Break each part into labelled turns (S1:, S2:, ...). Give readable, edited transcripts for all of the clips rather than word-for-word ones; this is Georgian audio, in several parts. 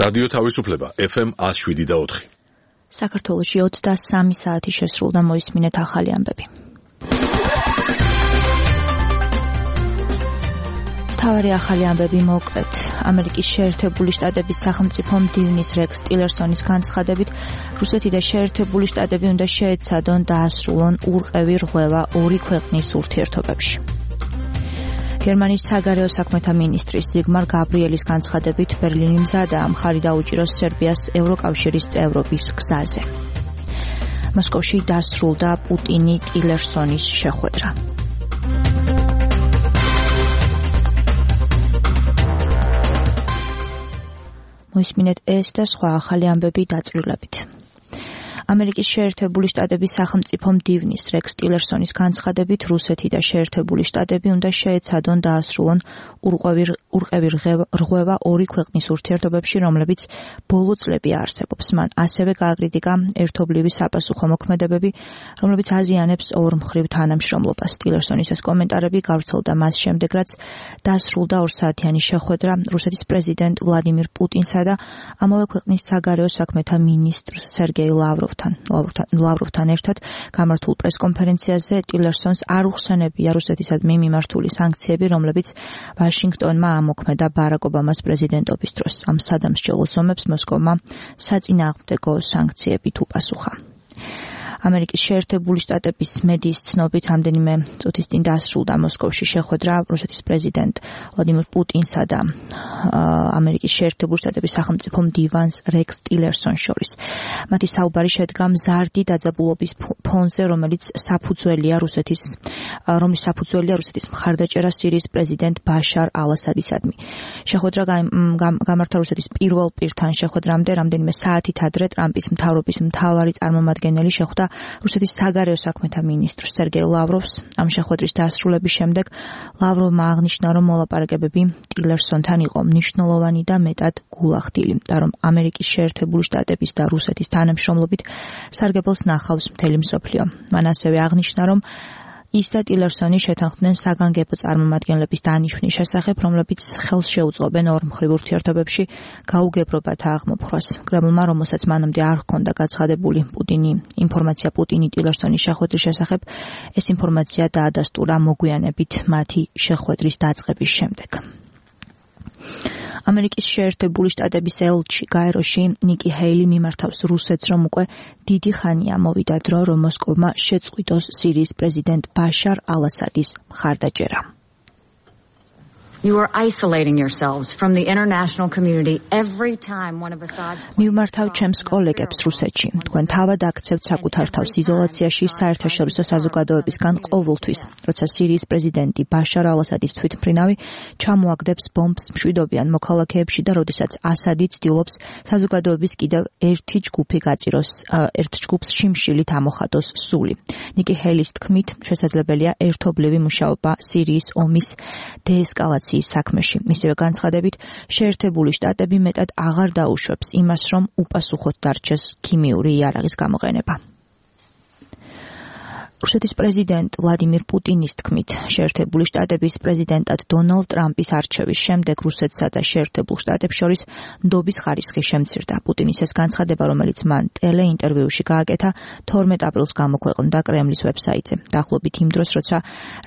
S1: რადიო თავისუფლება FM 107.4.
S2: საქართველოში 23 საათი შესრულდა, მოისმინეთ ახალი ამბები. თავარი ახალი ამბები მოკლედ. ამერიკის შეერთებული შტატების სახელმწიფო მდივნის რექს ტილერსონის განცხადებით, რუსეთი და შეერთებული შტატები უნდა შეეცადონ დაასრულონ ურყევი რღვევა ორი ქვეყნის ურთიერთობებში. გერმანიის საგარეო საქმეთა მინისტრის ზიგმარ გაბრიელის განცხადებით, ბერლინი მზადაა მხარი დაუჭიროს სერბიას ევროკავშირის წევრობის გზაზე. მოსკოვში დასრულდა პუტინი-ტილერსონის შეხვედრა. მოისმინეთ ეს და სხვა ახალი ამბები დაწვრილებით. ამერიკის შეერთებული შტატების სახელმწიფო მდივნის რექს ტილერსონის განცხადებით, რუსეთი და შეერთებული შტატები უნდა შეეცადონ დაასრულონ ურყევი რღვევა ორი ქვეყნის ურთიერთობებში, რომლებიც ბოლო წლები არსებობს. მან ასევე გააკრიტიკა ერთობლივი საპასუხო მოქმედებები, რომლებიც აზიანებს ორმხრივ თანამშრომლობას. ტილერსონის ეს კომენტარები გავრცელდა მას შემდეგ, რაც დასრულდა 2 საათიანი შეხვედრა რუსეთის პრეზიდენტ ვლადიმირ პუტინსა და ამავე ქვეყნის საგარეო საქმეთა მინისტრ სერგეი ლავროვთან ერთად გამართულ პრესკონფერენციაზე. ტილერსონს არ უხსენებია რუსეთისადმი მიმართული სანქციები, რომლებიც ვაშინგტონმა ამოქმედა ბარაკ ობამას პრეზიდენტობის დროს. ამ სადამსჯელოს ომებს მოსკოვმა საწინააღმდეგო სანქციებით უპასუხა. ამერიკის შეერთებული შტატების მედიის ცნობით, რამდენიმე წუთის წინ დასრულდა მოსკოვში შეხვედრა რუსეთის პრეზიდენტ ვლადიმირ პუტინსა და ამერიკის შეერთებული შტატების სახელმწიფო მდივანს რექს ტილერსონს შორის. მათი საუბარი შედგა მზარდი დაძაბულობის ფონზე, რომლის საფუძველია რუსეთის მხარდაჭერა სირიის პრეზიდენტ ბაშარ ალ-ასადისადმი. შეხვედრა გამართა რუსეთის პირველ პირთან შეხვედრამდე, რამდენიმე საათით ადრე ტრამპის მთავრობის მთავარი წარმომადგენელი შეხვდა რუსეთის საგარეო საქმეთა მინისტრ სერგეი ლავროვს. ამ შეხვედრის დასრულების შემდეგ ლავროვმა აღნიშნა, რომ მოლაპარაკებები ტილერსონთან იყო მნიშვნელოვანი და მეტად გულახდილი და რომ ამერიკის შეერთებული შტატების და რუსეთის თანამშრომლობით სარგებელს ნახავს მთელი მსოფლიო. მან ასევე აღნიშნა, რომ ის და ტილერსონი შეთანხმდნენ საგანგებო წარმომადგენლების დანიშვნის შესახებ, რომლებიც ხელს შეუწყობენ ორმხრივ ურთიერთობებში გაუგებრობათა აღმოფხვას. კრემლმა, რომელსაც მანამდე არ ჰქონდა გაცხადებული ინფორმაცია პუტინი-ტილერსონის შეხვედრის შესახებ, ეს ინფორმაცია დაადასტურა მოგვიანებით მათი შეხვედრის დაწყების შემდეგ. ამერიკის შეერთებული შტატების ელჩი გაეროში ნიკი ჰეილი მიმართავს რუსეთს, რომ უკვე დიდი ხანია მოვიდა დრო, რომ მოსკოვმა შეწყვიტოს სირიის პრეზიდენტ ბაშარ ალ-ასადის მხარდაჭერა.
S3: You are isolating yourselves from the international community every time one of Assad's
S2: მივმართავ ჩემს კოლეგებს რუსეთში. თქვენ თავად აქცევთ საკუთარ თავს იზოლაციაში საერთაშორისო საზოგადოებისგან ყოველთვის, როცა სირიის პრეზიდენტი ბაშარ ალ-ასადის თვითმფრინავი ჩამოაგდებს ბომბს მშვიდობიან მოქალაქეებში და როდესაც ასადი ცდილობს საზოგადოების კიდევ ერთი ჯგუფი გაწიროს, ერთ ჯგუფს შიმშილით ამოხატოს სული. ნიკი ჰეილის თქმით, შესაძლებელია ერთობლივი მუშაობა სირიის ომის დეესკალაციის საქმეში. მისივე განცხადებით, შეერთებული შტატები მეტად აღარ დაუშვებს იმას, რომ უპასუხოდ დარჩეს ქიმიური იარაღის გამოყენება. რუსეთის პრეზიდენტ ვლადიმირ პუტინის თქმით, შეერთებული შტატების პრეზიდენტად დონალდ ტრამპის არჩევის შემდეგ რუსეთსა და შეერთებულ შტატებს შორის ნდობის ხარისხი შემცირდა. პუტინის ეს განცხადება, რომელიც მან ტელეინტერვიუში გააკეთა, 12 აპრილს გამოქვეყნდა კრემლის ვებსაიტზე. დაახლოებით იმ დროს, როცა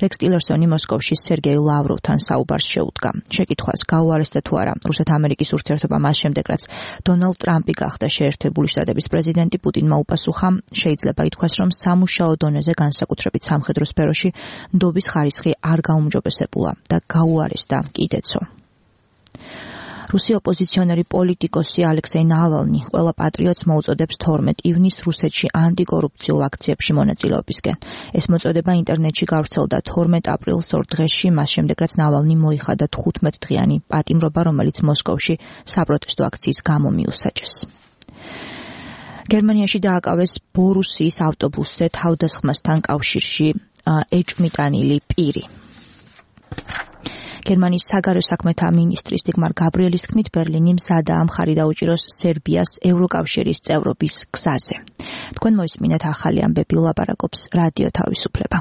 S2: რექს ტილერსონი მოსკოვში სერგეი ლავროვთან საუბარს შეუდგა. შეკითხვას გაუარესდა თუ არა რუსეთ-ამერიკის ურთიერთობა მას შემდეგ, რაც დონალდ ტრამპი გახდა შეერთებული შტატების პრეზიდენტი, პუტინმა უპასუხა, შეიძლება ითქვას, რომ სამუშაო დონეზე განსაკუთრებით სამხედრო სფეროში ნდობის ხარისხი არ გაუმჯობესებულა და გაუარესდა კიდეცო. რუსი ოპოზიციონერი პოლიტიკოსი ალექსეი ნავალნი ყველა პატრიოტს მოუწოდებს 12 ივნისს რუსეთში ანტიკორუფციულ აქციებში მონაწილეობისკენ. ეს მოწოდება ინტერნეტში გავრცელდა 12 აპრილს ორ დღეში, მას შემდეგ რაც ნავალნი მოიხადა 15 დღიანი პატიმრობა, რომელიც მოსკოვში საპროტესტო აქციის გამო მიუსაჯეს. გერმანიაში დააკავეს ბორუსიის ავტობუსზე თავდასხმასთან კავშირში ეჭვმიტანილი პირი. გერმანიის საგარეო საქმეთა მინისტრის ზიგმარ გაბრიელის თქმით, ბერლინი მზადაა მხარი დაუჭიროს სერბიას ევროკავშირის წევრობის გზაზე. თქვენ მოისმინეთ ახალი ამბები, ლაპარაკობს რადიო თავისუფლება.